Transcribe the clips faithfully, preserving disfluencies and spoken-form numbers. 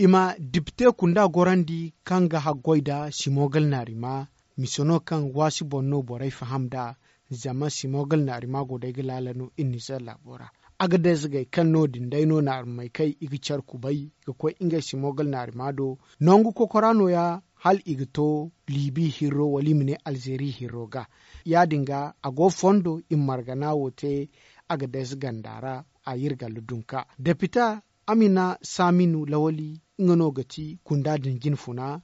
I ma dipite kunda gorandi kaŋ ga haggoy nda simogal naarima. Mise no kaŋ waasi boŋ no borey faham nd'a. Zama simogal naarima go day ga laala no iri nizeer laabo ra. Agadez gay kaŋ no- din day no naarimey kaŋ i ga care kubay ga koy ngey simogal naarima do. Nangu kokora nooya hala i ga to liibi hirro wala i ma ne alzeeri hirro ga. Ya- din ga a go fondo i ma margana wo te. Agadez ganda ra a iri galla dunka depita amina saaminu lawali nga no ga ti kunda din jinfuna.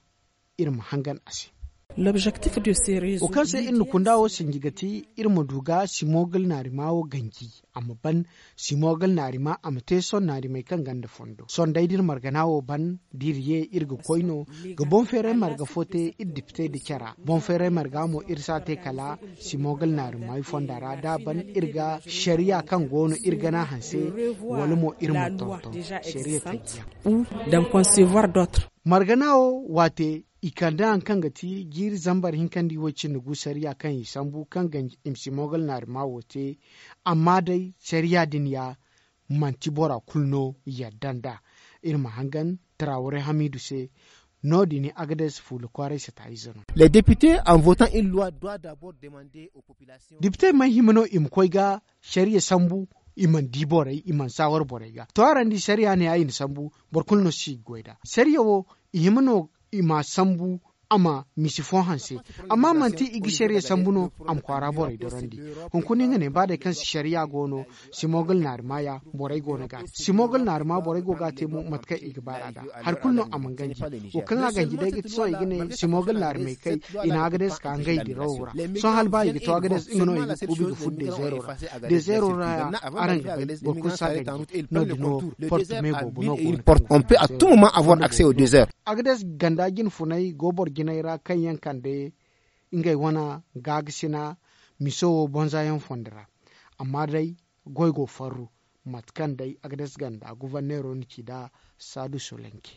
Iri ma hangan a se wo kaŋ se iri na kunda wo sinji ga ti iri ma du ga simogal naarima wo ganji a ma ban. Simogal naarima a ma te sohõ naarimey kaŋ gonda fondo sohõ day da iri margana wo ban da iri ye iri ga koy no ga boŋ feeray marga fo te iri dipitey nda cara boŋ feeray marga mo iri si a te kala simogal naarimey fonda ra da a ban iri ga sariya kaŋ go no iri gana hanse wala mo iri ma tonton sariya tanjiyaŋ. Margana wo waate i kande hari kaŋ ga ti jiiri zambar hinka nda i way cindi gu sariya kaŋ i sambu kaŋ ganji i ma simogal naarima wo te. Amma day sariya din ya manti bora kulu no yadda nd'a. Iri ma hangan taraware hamiidu se. No- din agades fuula kwaaray sata ize no. Les députés en votant une loi doit d'abord demander aux populations. Dipitey may hima no i ma koy ga sariya sambu. I mana di borey i mana saawar borey ga to araŋ di sariya ne ya i na sambu. Boro kulu no si ga goy nd'a sariya wo i hima no i ma a sambu. A ma misi fo hanse. Amma manti i ga sariya sambu no a ma kwaara borey dorandi. Hunkuna nga ne ba day kaŋ sariya go no simogal naarima ya borey go no ga a te simogal naarima borey go ga a te mo mate kaŋ i ga baar'a nd'a. Hari kulu no a mana ganji. Wo kaŋ a ganji day ga ti sohõ i ga ne simogal naarimey kay i na agades ka ngey dirawo ra. Sohõ hala ba i ga to agades nga no i ga kuubi ga furo dezeero ra. Dezeero ra ya araŋ ga bay boro kulu si a ganji. No- din wo porte me boobo no go no kaŋ ga porte on peut à tout moment avoir accès au désert. Agades ganda jinfunay go boro jinay ra kaŋ yaŋ kande ngey wane gaagasina miso wo bonza yaŋ fondo ra. Amma day goy go farru mate kaŋ day agades ganda guvarneero na ci nd'a. Saadu solenki.